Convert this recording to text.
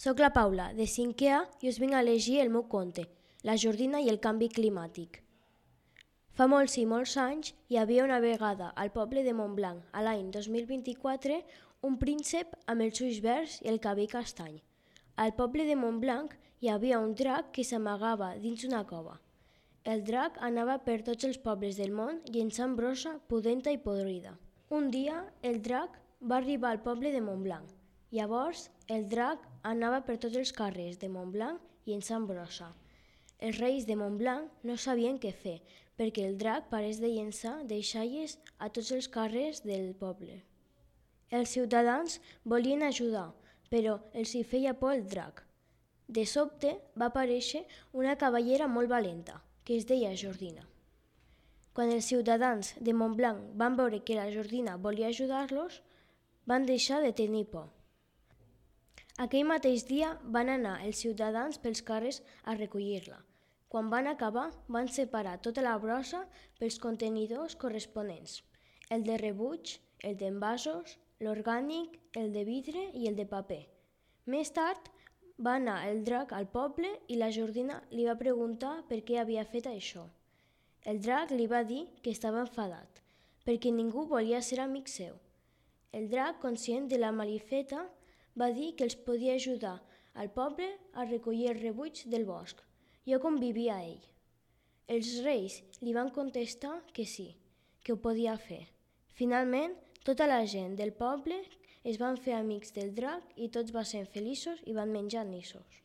Soc la Paula, de 5è A, i us vinc a llegir el meu conte, La Jordina i el canvi climàtic. Fa molts i molts anys hi havia una vegada al poble de Montblanc, a l'any 2024, un príncep amb els ulls verds i el cabell castany. Al poble de Montblanc hi havia un drac que s'amagava dins una cova. El drac anava per tots els pobles del món llençant brossa pudenta i podrida. Un dia el drac va arribar al poble de Montblanc. Llavors el drac anava per tots els carrers de Montblanc llençant brossa. Els reis de Montblanc no sabien què fer, perquè el drac parés de llençar deixalles a tots els carrers del poble. Els ciutadans volien ajudar, però els hi feia por el drac. De sobte va aparèixer una cavallera molt valenta, que es deia Jordina. Quan els ciutadans de Montblanc van veure que la Jordina volia ajudar-los, van deixar de tenir por. Aquell mateix dia van anar els ciutadans pels carrers a recollir-la. Quan van acabar, van separar tota la brossa pels contenidors corresponents, el de rebuig, el d'envasos, l'orgànic, el de vidre i el de paper. Més tard va anar el drac al poble i la Jordina li va preguntar per què havia fet això. El drac li va dir que estava enfadat, perquè ningú volia ser amic seu. El drac, conscient de la malifeta, va dir que els podia ajudar al poble a recollir el rebuig del bosc, lloc on vivia ell. Els reis li van contestar que sí, que ho podia fer. Finalment, tota la gent del poble es van fer amics del drac i tots van ser feliços i van menjar nissos.